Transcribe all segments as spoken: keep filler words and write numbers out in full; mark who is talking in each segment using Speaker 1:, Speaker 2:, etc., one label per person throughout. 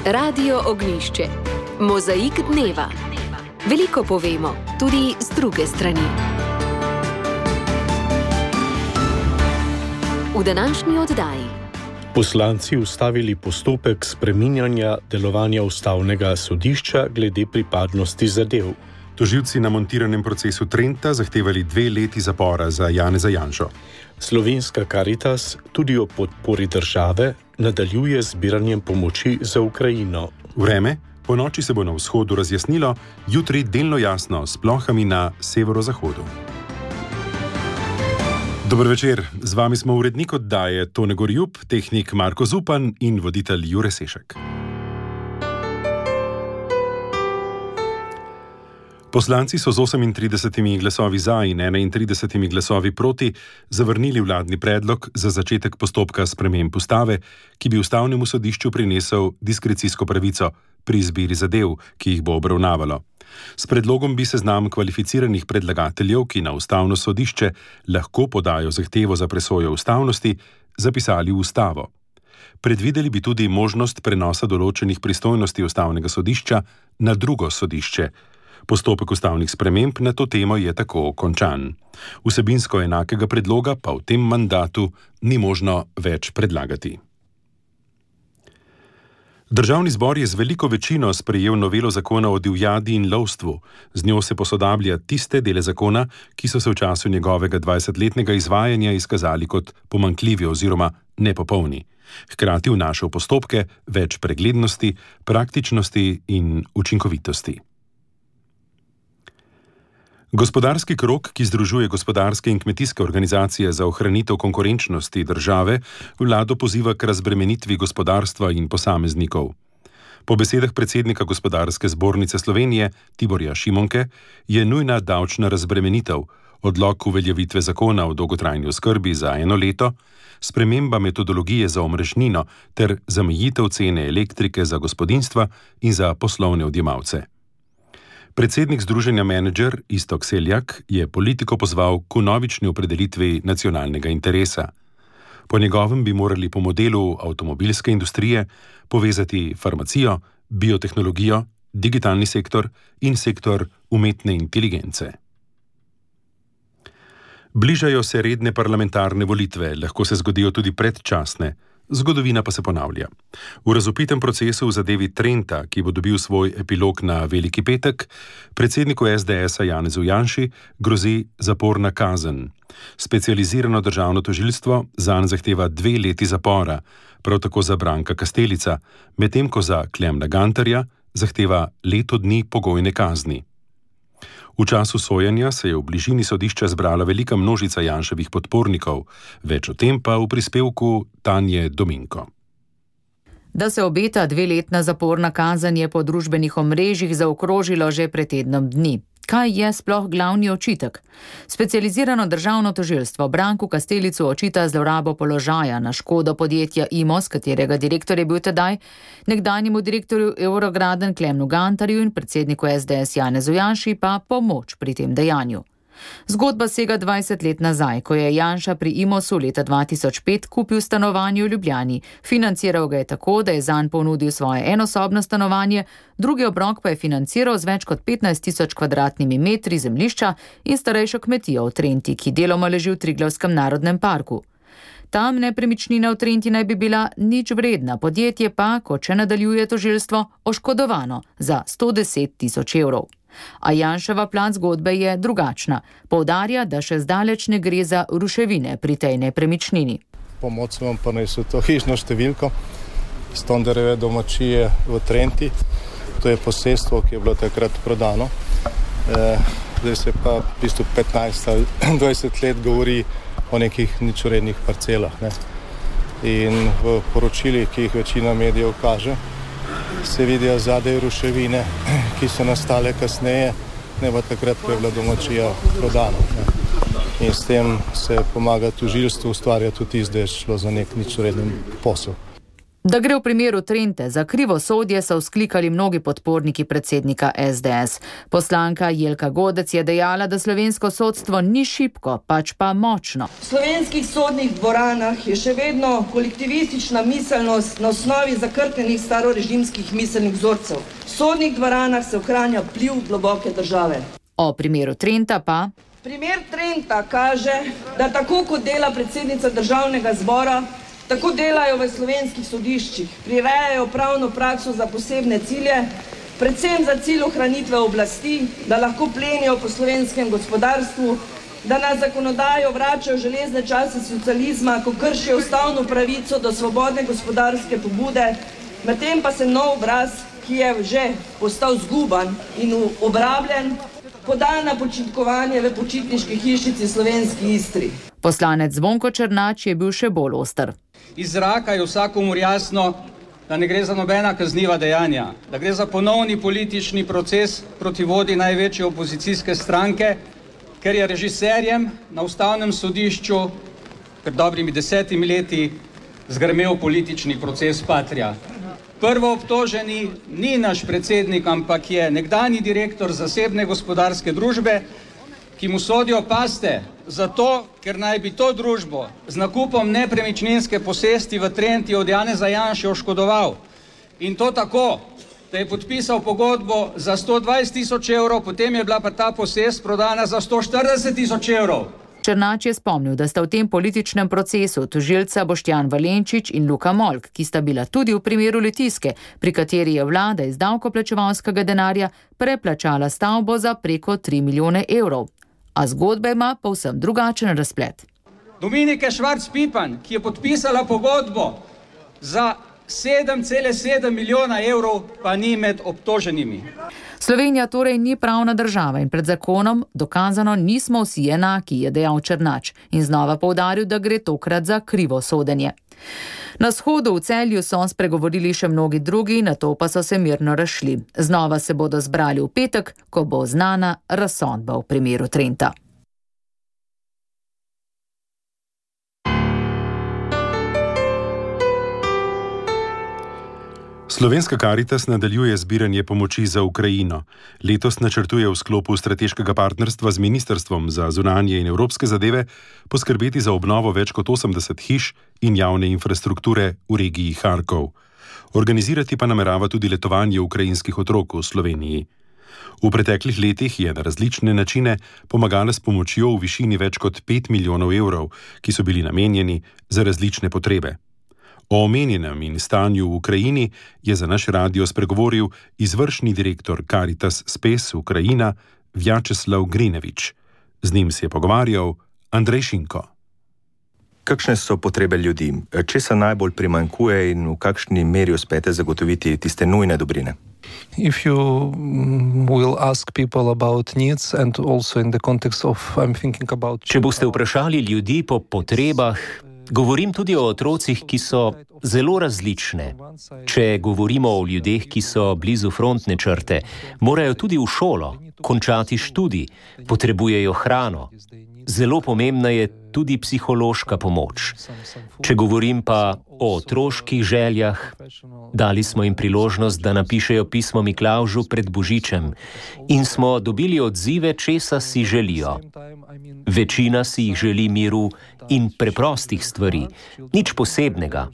Speaker 1: Radio Ognjišče. Mozaik dneva. Veliko povemo, tudi z druge strani. V današnji oddaji.
Speaker 2: Poslanci ustavili postopek spreminjanja delovanja ustavnega sodišča glede pripadnosti zadev.
Speaker 3: Tožilci na montiranem procesu Trenta zahtevali dve leti zapora za Janeza Janšo.
Speaker 2: Slovenska Karitas tudi o podpori države nadaljuje z zbiranjem pomoči za Ukrajino.
Speaker 3: Vreme? Po noči se bo na vzhodu razjasnilo, jutri delno jasno s plohami na severozahodu. Dober večer, z vami smo urednik oddaje Tone Gorjub, tehnik Marko Zupan in voditelj Jure Sešek. Poslanci so z osemintridesetimi glasovi za in enaintridesetimi glasovi proti zavrnili vladni predlog za začetek postopka sprememb ustave, ki bi ustavnemu sodišču prinesel diskrecijsko pravico pri izbiri zadev, ki jih bo obravnavalo. S predlogom bi seznam kvalificiranih predlagateljev, ki na ustavno sodišče lahko podajo zahtevo za presojo ustavnosti, zapisali v ustavo. Predvideli bi tudi možnost prenosa določenih pristojnosti ustavnega sodišča na drugo sodišče. Postopek ustavnih sprememb na to temo je tako končan. Vsebinsko enakega predloga pa v tem mandatu ni možno več predlagati. Državni zbor je z veliko večino sprejel novelo zakona o divjadi in lovstvu. Z njo se posodablja tiste dele zakona, ki so se v času njegovega dvajsetletnega izvajanja izkazali kot pomanjkljivi oziroma nepopolni. Hkrati vnaša v postopke več preglednosti, praktičnosti in učinkovitosti. Gospodarski krog, ki združuje gospodarske in kmetijske organizacije za ohranitev konkurenčnosti države, vlado poziva k razbremenitvi gospodarstva in posameznikov. Po besedah predsednika Gospodarske zbornice Slovenije Tiborja Šimonke je nujna davčna razbremenitev, odlok uveljavitve zakona o dolgotrajni oskrbi za eno leto, sprememba metodologije za omrežnino ter zamejitev cene elektrike za gospodinjstva in za poslovne odjemalce. Predsednik združenja Menedžer Iztok Seljak je politiko pozval k vnovični opredelitvi nacionalnega interesa. Po njegovem bi morali po modelu avtomobilske industrije povezati farmacijo, biotehnologijo, digitalni sektor in sektor umetne inteligence. Bližajo se redne parlamentarne volitve, lahko se zgodijo tudi predčasne. Zgodovina pa se ponavlja. V razupitem procesu v zadevi Trenta, ki bo dobil svoj epilog na Veliki petek, predsedniku es de esa Janezu Janši grozi zaporna kazen. Specializirano državno tožilstvo zanj zahteva dve leti zapora, prav tako za Branka Kastelica, medtem ko za Klemna Gantarja zahteva leto dni pogojne kazni. V času sojenja se je v bližini sodišča zbrala velika množica Janševih podpornikov, več o tem pa v prispevku Tanje Dominko.
Speaker 4: Da se obeta dveletna zaporna kazen, je po družbenih omrežjih zaokrožilo že pred tednom dni. Kaj je sploh glavni očitek? Specializirano državno tožilstvo Branku Kastelicu očita zlorabo položaja na škodo podjetja Imos, katerega direktor je bil tedaj, nekdanjemu direktorju Eurograden Klemnu Gantarju in predsedniku es de es Janezu Janši pa pomoč pri tem dejanju. Zgodba sega dvajset let nazaj, ko je Janša pri Imosu leta dva tisoč pet kupil stanovanje v Ljubljani. Financiral ga je tako, da je zanj ponudil svoje enosobno stanovanje, drugi obrok pa je financiral z več kot petnajst tisoč kvadratnimi metri zemljišča in starejšo kmetijo v Trenti, ki deloma leži v Triglavskem narodnem parku. Tam nepremičnina v Trenti naj bi bila nič vredna, podjetje pa, kot še nadaljuje tožilstvo, oškodovano za sto deset tisoč evrov. A Janševa plat zgodbe je drugačna. Poudarja, da še zdaleč ne gre za ruševine pri tej nepremičnini.
Speaker 5: Pomoč sem vam prinesel to hišno številko Stonderjeve domačije v Trenti. To je posestvo, ki je bilo takrat prodano. E, zdaj se pa v bistvu petnajst ali dvajset let govori o nekih ničvrednih parcelah. Ne? In v poročilih, ki jih večina medijev kaže, se vidijo zadaj ruševine, ki so nastale kasneje, ne pa takrat, ko je bila domačija prodana. Ne. In s tem se pomaga tožilstvu, ustvarja tudi izda, da je šlo za nek ničvreden posel.
Speaker 4: Da gre v primeru Trente za krivosodje, so vzklikali mnogi podporniki predsednika S D S. Poslanka Jelka Godec je dejala, da slovensko sodstvo ni šibko, pač pa močno.
Speaker 6: V slovenskih sodnih dvoranah je še vedno kolektivistična miselnost na osnovi zakrknjenih starorežimskih miselnih vzorcev. V sodnih dvoranah se ohranja vpliv globoke države.
Speaker 4: O primeru Trenta pa...
Speaker 6: Primer Trenta kaže, da tako kot dela predsednica državnega zbora, tako delajo v slovenskih sodiščih, prirejajo pravno prakso za posebne cilje, predvsem za cilj ohranitve oblasti, da lahko plenijo po slovenskem gospodarstvu, da na zakonodajo vračajo železne čase socializma, ko kršijo ustavno pravico do svobodne gospodarske pobude, medtem pa se nov obraz, ki je že postal zguban in obrabljen, poda na počitkovanje v počitniški hišici Slovenski Istri.
Speaker 4: Poslanec Zvonko Černač je bil še bolj oster.
Speaker 7: Iz zraka je vsakomur jasno, da ne gre za nobena kazniva dejanja, da gre za ponovni politični proces proti vodji največje opozicijske stranke, ker je režiserjem na ustavnem sodišču pred dobrimi desetimi leti zgrmel politični proces Patria. Prvo obtoženi ni naš predsednik, ampak je nekdanji direktor zasebne gospodarske družbe, ki mu sodijo paste, zato, ker naj bi to družbo z nakupom nepremičninske posesti v Trenti od Janeza Janše oškodoval. In to tako, da je podpisal pogodbo za sto dvajset tisoč evrov, potem je bila pa ta posest prodana za sto štirideset tisoč evrov.
Speaker 4: Černač je spomnil, da sta v tem političnem procesu tožilca Boštjan Valenčič in Luka Molk, ki sta bila tudi v primeru Litijske, pri kateri je vlada iz davkoplačevalskega denarja preplačala stavbo za preko tri milijone evrov. A zgodba ima povsem drugačen razplet.
Speaker 7: Dominike Švarc-Pipan, ki je podpisala pogodbo za sedem celih sedem milijona evrov, pa ni med obtoženimi.
Speaker 4: Slovenija torej ni pravna država in pred zakonom dokazano nismo vsi enaki, je dejal Černač in znova poudaril, da gre tokrat za krivo sodenje. Na shodu v Celju so spregovorili še mnogi drugi, nato pa so se mirno razšli. Znova se bodo zbrali v petek, ko bo znana razsodba v primeru Trenta.
Speaker 3: Slovenska Karitas nadaljuje zbiranje pomoči za Ukrajino. Letos načrtuje v sklopu strateškega partnerstva z Ministrstvom za zunanje in evropske zadeve poskrbeti za obnovo več kot osemdeset hiš in javne infrastrukture v regiji Harkov. Organizirati pa namerava tudi letovanje ukrajinskih otrok v Sloveniji. V preteklih letih je na različne načine pomagala s pomočjo v višini več kot pet milijonov evrov, ki so bili namenjeni za različne potrebe. O omenjenem in stanju v Ukrajini je za naš radio spregovoril izvršni direktor Karitas Spes Ukrajina Vjačeslav Grinevič. Z njim se je pogovarjal Andrej Šinko.
Speaker 8: Kakšne so potrebe ljudi? Česa najbolj primanjkuje in v kakšni meri uspete zagotoviti tiste nujne dobrine?
Speaker 9: If you will ask people about needs and also in the context of I'm thinking about
Speaker 10: Če boste vprašali ljudi po potrebah, govorim tudi o otrocih, ki so zelo različne. Če govorimo o ljudeh, ki so blizu frontne črte, morajo tudi v šolo, končati študij, potrebujejo hrano. Zelo pomembna je tudi psihološka pomoč. Če govorim pa o otroških željah, dali smo jim priložnost, da napišejo pismo Miklavžu pred Božičem in smo dobili odzive, česa si želijo. Večina si jih želi miru in preprostih stvari, nič posebnega.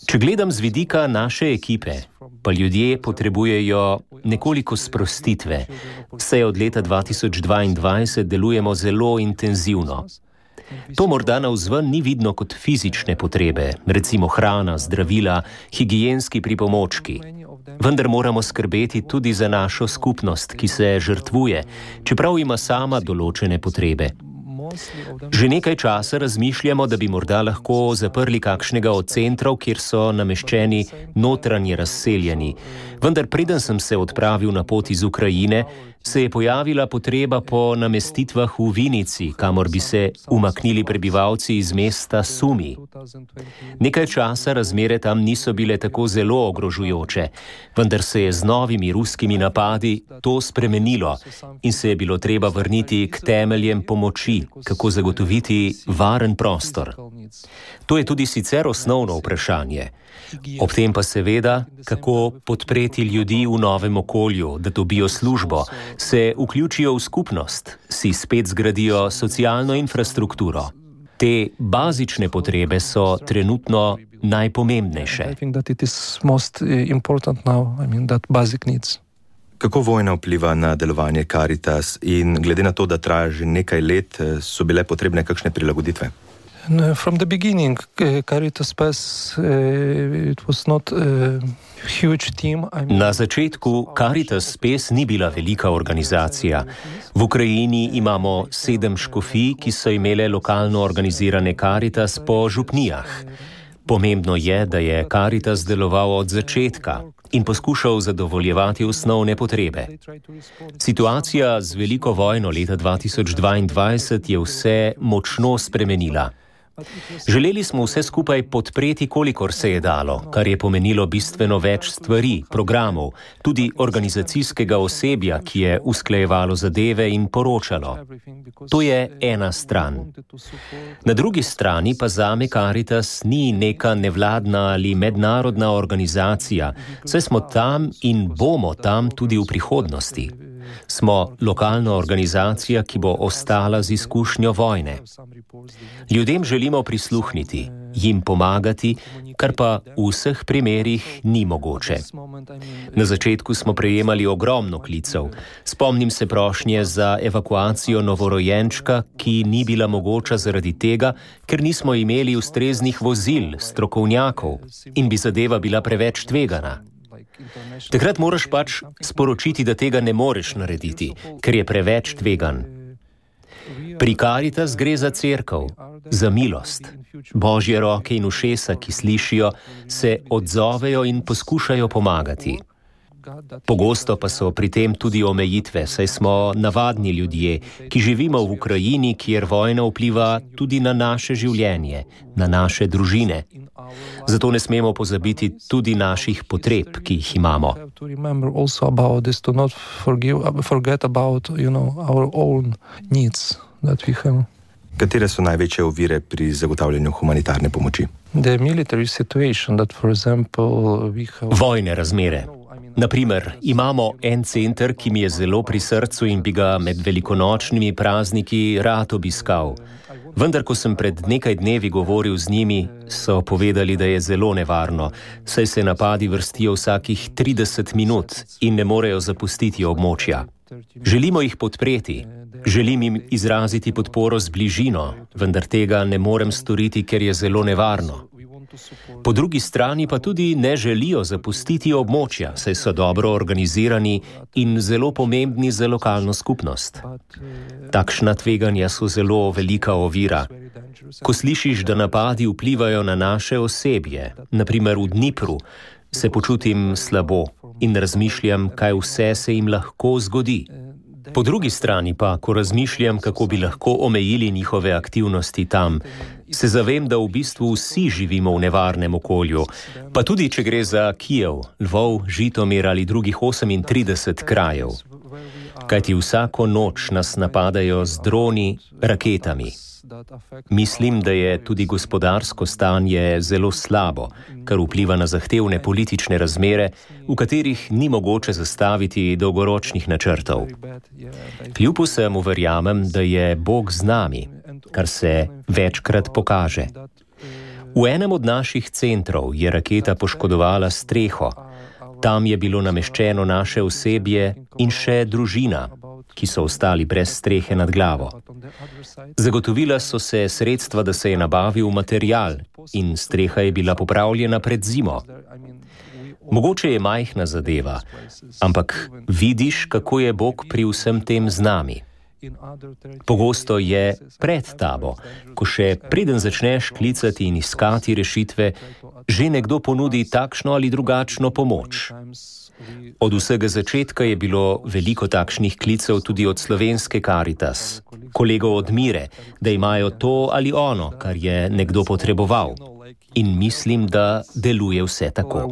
Speaker 10: Če gledam z vidika naše ekipe, pa ljudje potrebujejo nekoliko sprostitve, saj od leta dva tisoč dvaindvajset delujemo zelo intenzivno. To morda navzven ni vidno kot fizične potrebe, recimo hrana, zdravila, higienski pripomočki. Vendar moramo skrbeti tudi za našo skupnost, ki se žrtvuje, čeprav ima sama določene potrebe. Že nekaj časa razmišljamo, da bi morda lahko zaprli kakšnega od centrov, kjer so nameščeni notranje razseljeni. Vendar preden sem se odpravil na pot iz Ukrajine, se je pojavila potreba po namestitvah v Vinici, kamor bi se umaknili prebivalci iz mesta Sumi. Nekaj časa razmere tam niso bile tako zelo ogrožujoče, vendar se je z novimi ruskimi napadi to spremenilo in se je bilo treba vrniti k temeljem pomoči, kako zagotoviti varen prostor. To je tudi sicer osnovno vprašanje. Ob tem pa seveda, kako podpreti ljudi v novem okolju, da dobijo službo, se vključijo v skupnost, si spet zgradijo socialno infrastrukturo. Te bazične potrebe so trenutno najpomembnejše.
Speaker 8: Kako vojna vpliva na delovanje Caritas in glede na to, da traja že nekaj let, so bile potrebne kakšne prilagoditve?
Speaker 9: From the beginning, Caritas P E S, it was not a huge team.
Speaker 10: Na začetku Caritas P E S ni bila velika organizacija. V Ukrajini imamo sedem škofij, ki so imele lokalno organizirane Caritas po župnijah. Pomembno je, da je Caritas deloval od začetka in poskušal zadovoljevati osnovne potrebe. Situacija z veliko vojno leta dva tisoč dvaindvajset je vse močno spremenila. Želeli smo vse skupaj podpreti, kolikor se je dalo, kar je pomenilo bistveno več stvari, programov, tudi organizacijskega osebja, ki je usklajevalo zadeve in poročalo. To je ena stran. Na drugi strani pa zame Caritas ni neka nevladna ali mednarodna organizacija, saj smo tam in bomo tam tudi v prihodnosti. Smo lokalna organizacija, ki bo ostala z izkušnjo vojne. Ljudem želimo prisluhniti, jim pomagati, kar pa v vseh primerih ni mogoče. Na začetku smo prejemali ogromno klicev. Spomnim se prošnje za evakuacijo novorojenčka, ki ni bila mogoča zaradi tega, ker nismo imeli ustreznih vozil, strokovnjakov in bi zadeva bila preveč tvegana. Takrat moraš pač sporočiti, da tega ne moreš narediti, ker je preveč tvegan. Pri Caritas gre za cerkev, za milost. Božje roke in ušesa, ki slišijo, se odzovejo in poskušajo pomagati. Pogosto pa so pri tem tudi omejitve, saj smo navadni ljudje, ki živimo v Ukrajini, kjer vojna vpliva tudi na naše življenje, na naše družine. Zato ne smemo pozabiti tudi naših potreb, ki jih imamo.
Speaker 8: Katere so največje ovire pri zagotavljanju humanitarne pomoči?
Speaker 10: Vojne razmere. Naprimer, imamo en center, ki mi je zelo pri srcu in bi ga med velikonočnimi prazniki rad obiskal. Vendar, ko sem pred nekaj dnevi govoril z njimi, so povedali, da je zelo nevarno, saj se napadi vrstijo vsakih trideset minut in ne morejo zapustiti območja. Želimo jih podpreti, želim jim izraziti podporo z bližino, vendar tega ne morem storiti, ker je zelo nevarno. Po drugi strani pa tudi ne želijo zapustiti območja, saj so dobro organizirani in zelo pomembni za lokalno skupnost. Takšna tveganja so zelo velika ovira. Ko slišiš, da napadi vplivajo na naše osebje, naprimer v Dnipru, se počutim slabo in razmišljam, kaj vse se jim lahko zgodi. Po drugi strani pa, ko razmišljam, kako bi lahko omejili njihove aktivnosti tam, se zavem, da v bistvu vsi živimo v nevarnem okolju, pa tudi, če gre za Kijev, Lvov, Žitomir ali drugih osemintrideset krajev. Kajti vsako noč nas napadajo z droni, raketami. Mislim, da je tudi gospodarsko stanje zelo slabo, kar vpliva na zahtevne politične razmere, v katerih ni mogoče zastaviti dolgoročnih načrtov. Kljub vsemu verjamem, da je Bog z nami, kar se večkrat pokaže. V enem od naših centrov je raketa poškodovala streho. Tam je bilo nameščeno naše osebje in še družina, ki so ostali brez strehe nad glavo. Zagotovila so se sredstva, da se je nabavil material in streha je bila popravljena pred zimo. Mogoče je majhna zadeva, ampak vidiš, kako je Bog pri vsem tem z nami. Pogosto je pred tabo, ko še preden začneš klicati in iskati rešitve, že nekdo ponudi takšno ali drugačno pomoč. Od vsega začetka je bilo veliko takšnih klicev tudi od slovenske Karitas, kolegov od Mire, da imajo to ali ono, kar je nekdo potreboval. In mislim, da deluje vse tako.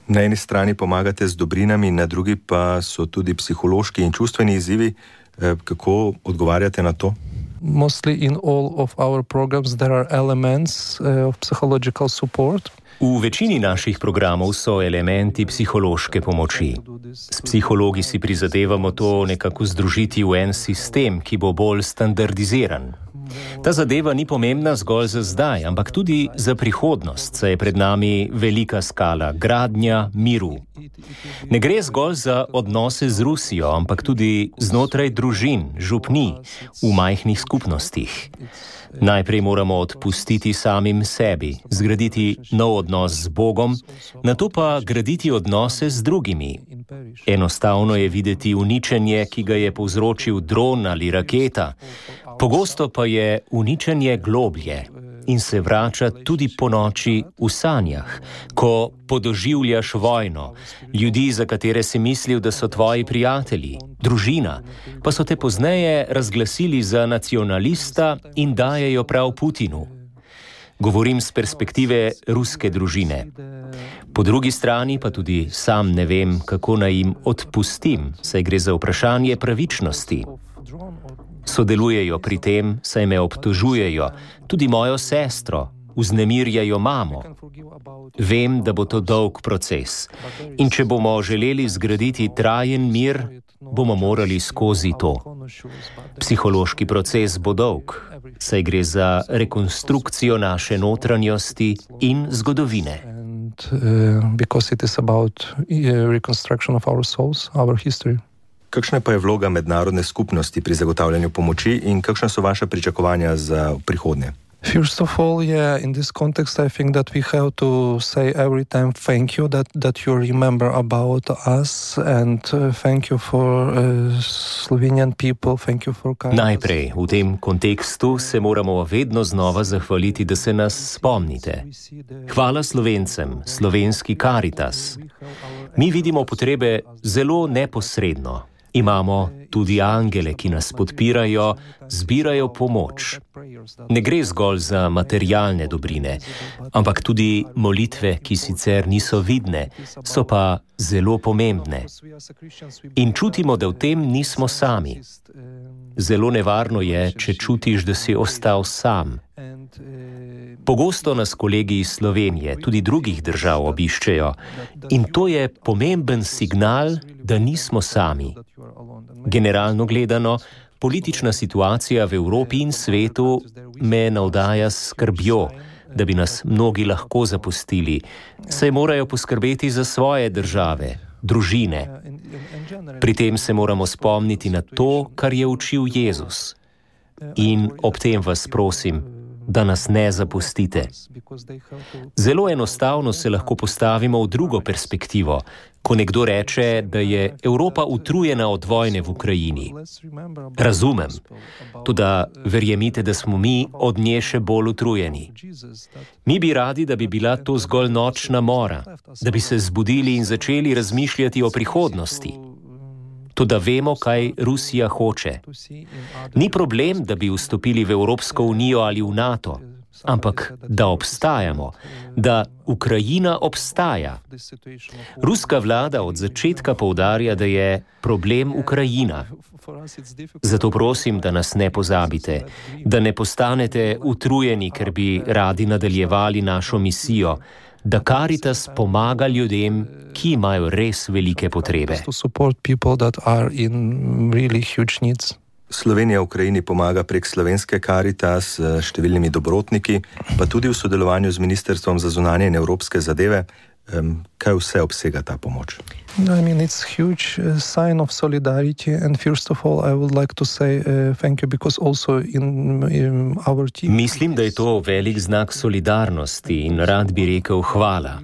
Speaker 8: Na eni strani pomagate z dobrinami, na drugi pa so tudi psihološki in čustveni izzivi. Kako odgovarjate na to?
Speaker 9: Mostly in all of our programs there are elements of psychological support.
Speaker 10: V večini naših programov so elementi psihološke pomoči. S psihologi si prizadevamo to nekako združiti v en sistem, ki bo bolj standardiziran. Ta zadeva ni pomembna zgolj za zdaj, ampak tudi za prihodnost, saj je pred nami velika skala gradnja miru. Ne gre zgolj za odnose z Rusijo, ampak tudi znotraj družin, župni, v majhnih skupnostih. Najprej moramo odpustiti samim sebi, zgraditi nov odnos z Bogom, nato pa graditi odnose z drugimi. Enostavno je videti uničenje, ki ga je povzročil dron ali raketa, pogosto pa je uničenje globlje in se vrača tudi po noči v sanjah, ko podoživljaš vojno, ljudi, za katere si mislil, da so tvoji prijatelji, družina, pa so te pozneje razglasili za nacionalista in dajejo prav Putinu. Govorim z perspektive ruske družine. Po drugi strani pa tudi sam ne vem, kako naj jim odpustim, saj gre za vprašanje pravičnosti. Sodelujejo pri tem, saj me obtožujejo, tudi mojo sestro, vznemirjajo mamo. Vem, da bo to dolg proces in če bomo želeli zgraditi trajen mir, bomo morali skozi to. Psihološki proces bo dolg, saj gre za rekonstrukcijo naše notranjosti in zgodovine.
Speaker 9: Because it is about reconstruction of our souls, our history.
Speaker 8: Kakšna pa je vloga mednarodne skupnosti pri zagotavljanju pomoči in kakšna so vaša pričakovanja za prihodnje?
Speaker 9: First of all, yeah, in this context, I think that we have to say every time thank you that, that you remember about us and uh, thank you for uh, Slovenian people, thank you for Caritas.
Speaker 10: Najprej, v tem kontekstu se moramo vedno znova zahvaliti, da se nas spomnite. Hvala Slovencem, slovenski Caritas. Mi vidimo potrebe zelo neposredno. Imamo tudi angele, ki nas podpirajo, zbirajo pomoč. Ne gre zgolj za materialne dobrine, ampak tudi molitve, ki sicer niso vidne, so pa zelo pomembne. In čutimo, da v tem nismo sami. Zelo nevarno je, če čutiš, da si ostal sam. Pogosto nas kolegi iz Slovenije, tudi drugih držav obiščejo in to je pomemben signal, da nismo sami. Generalno gledano, politična situacija v Evropi in svetu me navdaja s skrbjo, da bi nas mnogi lahko zapustili, saj morajo poskrbeti za svoje države, družine. Pri tem se moramo spomniti na to, kar je učil Jezus. In ob tem vas prosim, da nas ne zapustite. Zelo enostavno se lahko postavimo v drugo perspektivo, ko nekdo reče, da je Evropa utrujena od vojne v Ukrajini. Razumem, toda verjemite, da smo mi od nje še bolj utrujeni. Mi bi radi, da bi bila to zgolj nočna mora, da bi se zbudili in začeli razmišljati o prihodnosti. Toda vemo, kaj Rusija hoče. Ni problem, da bi vstopili v Evropsko unijo ali v NATO, ampak da obstajamo, da Ukrajina obstaja. Ruska vlada od začetka poudarja, da je problem Ukrajina. Zato prosim, da nas ne pozabite, da ne postanete utrujeni, ker bi radi nadaljevali našo misijo, da Caritas pomaga ljudem, ki imajo res velike potrebe.
Speaker 8: Slovenija Ukrajini pomaga prek slovenske Caritas s številnimi dobrotniki, pa tudi v sodelovanju z Ministrstvom za zunanje in evropske zadeve. Kaj vse obsega ta pomoč?
Speaker 9: I mean, it's a huge uh, sign of solidarity, and first of all, I would like to say uh, thank you, because also in, in our team...
Speaker 10: Mislim, da je to velik znak solidarnosti in rad bi rekel hvala.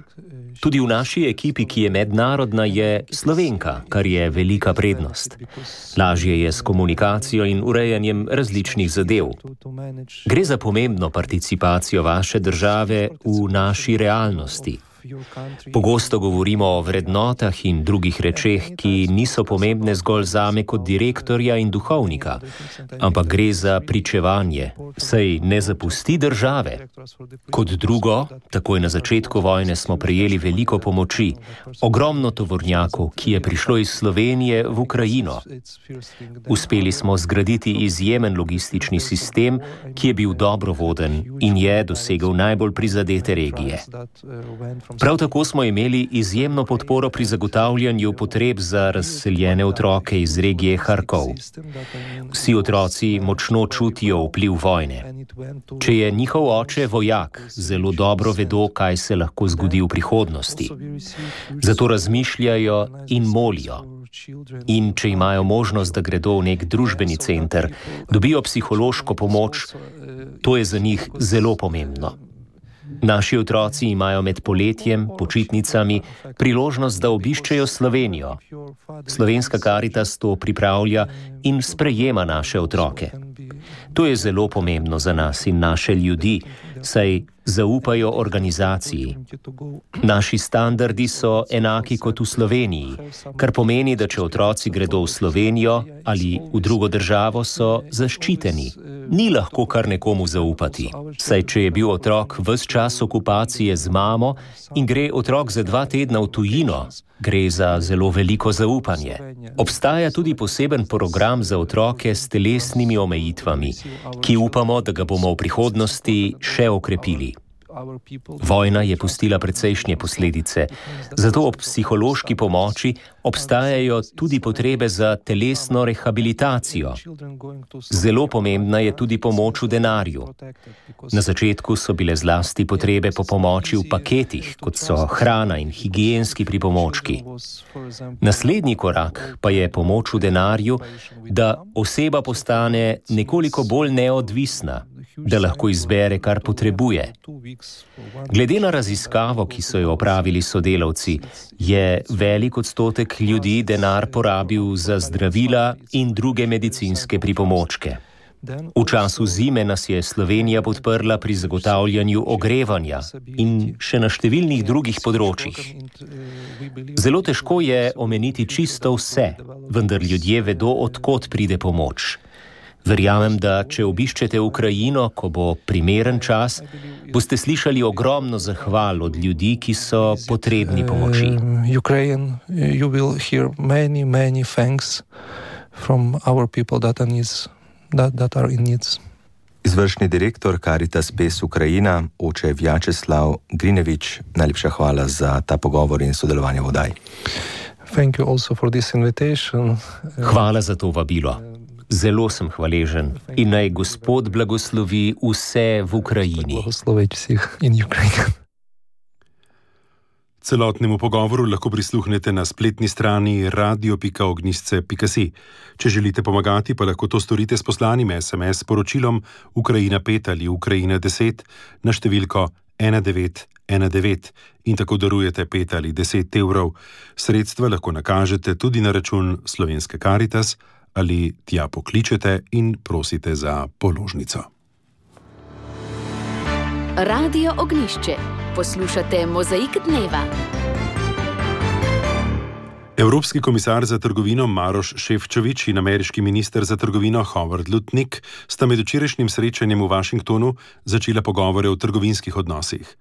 Speaker 10: Tudi v naši ekipi, ki je mednarodna, je Slovenka, kar je velika prednost. Lažje je s komunikacijo in urejanjem različnih zadev. Gre za pomembno participacijo vaše države v naši realnosti. Pogosto govorimo o vrednotah in drugih rečeh, ki niso pomembne zgolj zame kot direktorja in duhovnika, ampak gre za pričevanje, saj ne zapusti države. Kot drugo, takoj na začetku vojne smo prejeli veliko pomoči, ogromno tovornjakov, ki je prišlo iz Slovenije v Ukrajino. Uspeli smo zgraditi izjemen logistični sistem, ki je bil dobro voden in je dosegel najbolj prizadete regije. Prav tako smo imeli izjemno podporo pri zagotavljanju potreb za razseljene otroke iz regije Harkov. Vsi otroci močno čutijo vpliv vojne. Če je njihov oče vojak, zelo dobro vedo, kaj se lahko zgodi v prihodnosti. Zato razmišljajo in molijo. In če imajo možnost, da gredo v nek družbeni center, dobijo psihološko pomoč, to je za njih zelo pomembno. Naši otroci imajo med poletjem, počitnicami, priložnost, da obiščejo Slovenijo. Slovenska Karitas to pripravlja in sprejema naše otroke. To je zelo pomembno za nas in naše ljudi, saj zaupajo organizaciji. Naši standardi so enaki kot v Sloveniji, kar pomeni, da če otroci gredo v Slovenijo ali v drugo državo, so zaščiteni. Ni lahko kar nekomu zaupati, saj če je bil otrok ves čas okupacije z mamo in gre otrok za dva tedna v tujino, gre za zelo veliko zaupanje. Obstaja tudi poseben program za otroke s telesnimi omejitvami, ki upamo, da ga bomo v prihodnosti še okrepili. Vojna je pustila precejšnje posledice, zato ob psihološki pomoči obstajajo tudi potrebe za telesno rehabilitacijo. Zelo pomembna je tudi pomoč v denarju. Na začetku so bile zlasti potrebe po pomoči v paketih, kot so hrana in higienski pripomočki. Naslednji korak pa je pomoč v denarju, da oseba postane nekoliko bolj neodvisna, da lahko izbere, kar potrebuje. Glede na raziskavo, ki so jo opravili sodelavci, je velik odstotek ljudi denar porabil za zdravila in druge medicinske pripomočke. V času zime nas je Slovenija podprla pri zagotavljanju ogrevanja in še na številnih drugih področjih. Zelo težko je omeniti čisto vse, vendar ljudje vedo, od kod pride pomoč. Verjamem, da če obiščete Ukrajino, ko bo primeren čas, boste slišali ogromno zahval od ljudi, ki so potrebni pomoči.
Speaker 9: Ukraine, you will hear many, many thanks from our people that are needs, that, that are in needs.
Speaker 8: Izvršni direktor Caritas Pes Ukrajina, oče Vjačeslav Grinevič, najlepša hvala za ta pogovor in sodelovanje v oddaji.
Speaker 9: Thank you also for this invitation.
Speaker 10: Hvala za to vabilo. Zelo sem hvaležen in naj Gospod blagoslovi vse v Ukrajini.
Speaker 9: Blagoslovi vseh in Ukrajini.
Speaker 3: Celotnemu pogovoru lahko prisluhnete na spletni strani radio pika ognjišče pika si. Če želite pomagati, pa lahko to storite s poslanim es em es sporočilom Ukrajina pet ali Ukrajina deset na številko ena devet ena devet in tako darujete pet ali deset evrov. Sredstva lahko nakažete tudi na račun Slovenske Karitas ali tja pokličete in prosite za položnico.
Speaker 1: Radio Ognjišče. Poslušate Mozaik dneva.
Speaker 3: Evropski komisar za trgovino Maroš Šefčovič in ameriški minister za trgovino Howard Lutnick sta med včerajšnjim srečanjem v Washingtonu začela pogovore o trgovinskih odnosih.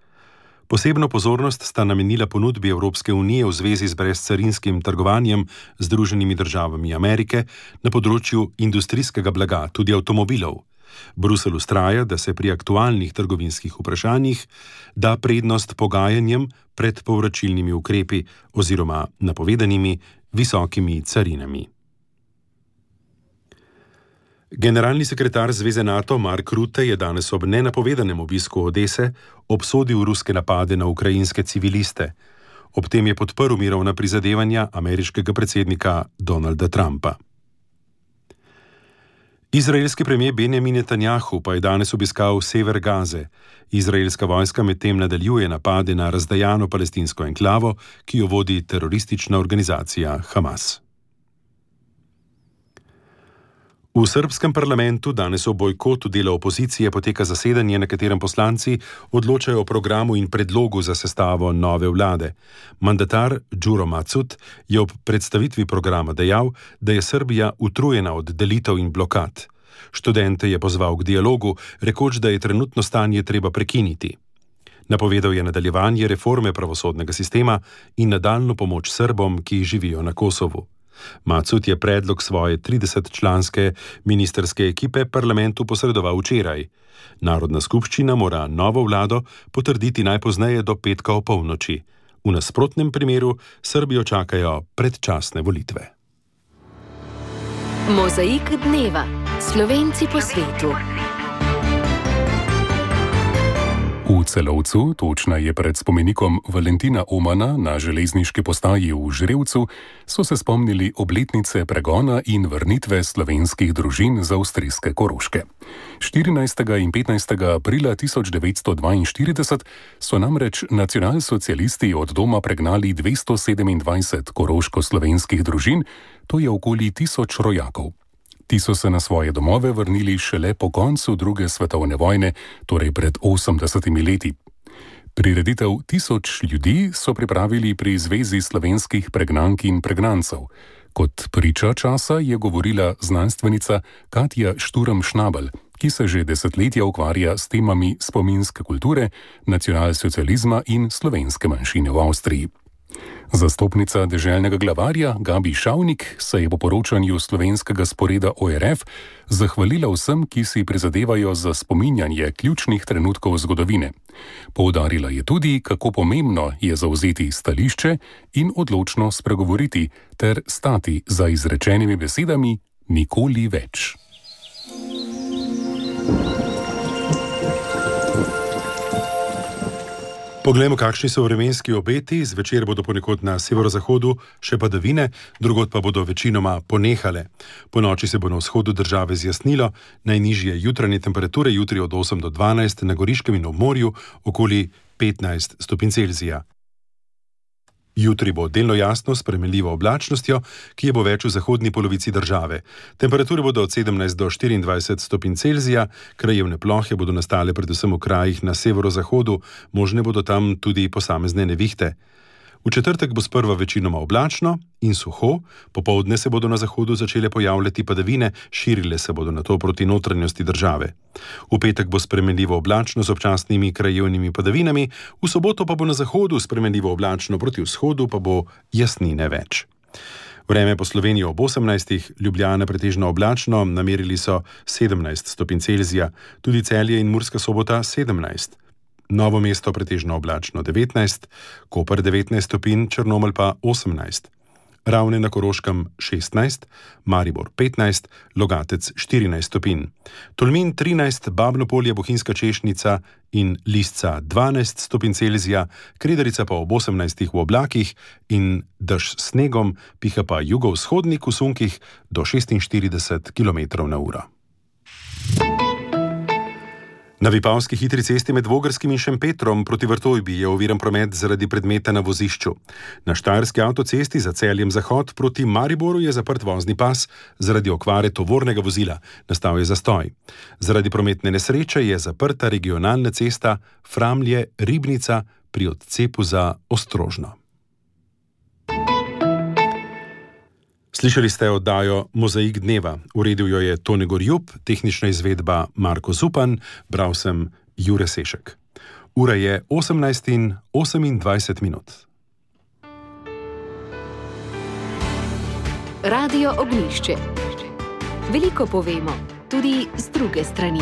Speaker 3: Posebno pozornost sta namenila ponudbi Evropske unije v zvezi z brezcarinskim trgovanjem z Združenimi državami Amerike na področju industrijskega blaga, tudi avtomobilov. Bruselj vztraja, da se pri aktualnih trgovinskih vprašanjih da prednost pogajanjem pred povračilnimi ukrepi oziroma napovedanimi visokimi carinami. Generalni sekretar Zveze NATO Mark Rutte je danes ob nenapovedanem obisku Odese obsodil ruske napade na ukrajinske civiliste. Ob tem je podprl mirovna prizadevanja ameriškega predsednika Donalda Trumpa. Izraelski premijer Benjamin Netanjahu pa je danes obiskal sever Gaze. Izraelska vojska medtem nadaljuje napade na razdejano palestinsko enklavo, ki jo vodi teroristična organizacija Hamas. V srbskem parlamentu danes o bojkotu dela opozicije poteka zasedanje, na katerem poslanci odločajo o programu in predlogu za sestavo nove vlade. Mandatar Đuro Macut je ob predstavitvi programa dejal, da je Srbija utrujena od delitev in blokad. Študente je pozval k dialogu, rekoč, da je trenutno stanje treba prekiniti. Napovedal je nadaljevanje reforme pravosodnega sistema in nadaljnjo pomoč Srbom, ki živijo na Kosovu. Macut je predlog svoje tridesetčlanske ministrske ekipe parlamentu posredoval včeraj. Narodna skupščina mora novo vlado potrditi najpozneje do petka opolnoči. V nasprotnem primeru Srbijo čakajo predčasne volitve.
Speaker 1: Mozaik dneva. Slovenci po svetu.
Speaker 11: V Celovcu, točneje pred spomenikom Valentina Omana na železniški postaji v Žrevcu, so se spomnili obletnice pregona in vrnitve slovenskih družin z avstrijske Koroške. štirinajstega in petnajstega aprila tisoč devetsto dvainštirideset so namreč nacionalsocialisti od doma pregnali dvesto sedemindvajset koroško-slovenskih družin, to je okoli tisoč rojakov. Ti so se na svoje domove vrnili šele po koncu druge svetovne vojne, torej pred osemdesetimi leti. Prireditev Tisoč ljudi so pripravili pri Zvezi slovenskih pregnank in pregnancev. Kot priča časa je govorila znanstvenica Katja Šturm-Šnabel, ki se že desetletja ukvarja s temami spominske kulture, nacionalsocializma in slovenske manjšine v Avstriji. Zastopnica deželnega glavarja Gabi Šavnik se je po poročanju slovenskega sporeda O R F zahvalila vsem, ki si prizadevajo za spominjanje ključnih trenutkov zgodovine. Poudarila je tudi, kako pomembno je zavzeti stališče in odločno spregovoriti ter stati za izrečenimi besedami nikoli več.
Speaker 3: Poglejmo, kakšni so vremenski obeti. Zvečer bodo ponekod na severozahodu še padavine, drugod pa bodo večinoma ponehale. Po noči se bo na vzhodu države zjasnilo, najnižje jutranje temperature jutri od osem do dvanajst, na Goriškem in ob morju okoli petnajst stopinj Celzija. Jutri bo delno jasno s spremenljivo oblačnostjo, ki je bo več v zahodni polovici države. Temperature bodo od sedemnajst do štiriindvajset stopinj Celzija, krajevne plohe bodo nastale predvsem v krajih na severozahodu, možne bodo tam tudi posamezne nevihte. V četrtek bo sprva večinoma oblačno in suho, popoldne se bodo na zahodu začele pojavljati padavine, širile se bodo nato proti notranjosti države. V petek bo spremenljivo oblačno z občasnimi krajevnimi padavinami, v soboto pa bo na zahodu spremenljivo oblačno, proti vzhodu pa bo jasnine več. Vreme po Sloveniji ob osemnajstih, Ljubljana pretežno oblačno, namerili so sedemnajst stopinj Celzija, tudi Celje in Murska Sobota sedemnajst. Novo mesto pretežno oblačno devetnajst, Koper devetnajst stopinj, Črnomelj pa osemnajst. Ravne na Koroškem šestnajst, Maribor petnajst, Logatec štirinajst stopinj. Tolmin trinajst, Babno Polje, Bohinjska Češnica in Lisca dvanajst stopinj Celzija, Kredarica pa ob osemnajstih v oblakih in dež s snegom, piha pa jugovzhodnik v sunkih do šestinštirideset kilometrov na uro. Na Vipavski hitri cesti med Vogrskim in Šempetrom proti Vrtojbi je oviran promet zaradi predmeta na vozišču. Na Štajerski avtocesti za Celjem zahod proti Mariboru je zaprt vozni pas zaradi okvare tovornega vozila. Nastal je zastoj. Zaradi prometne nesreče je zaprta regionalna cesta Framlje-Ribnica pri odcepu za Ostrožno. Slišali ste oddajo Mozaik dneva. Uredil jo je Tone Gorjub, tehnična izvedba Marko Zupan, bral sem Jure Sešek. Ura je osemnajst in osemindvajset minut.
Speaker 1: Radio Ognjišče. Veliko povemo, tudi z druge strani.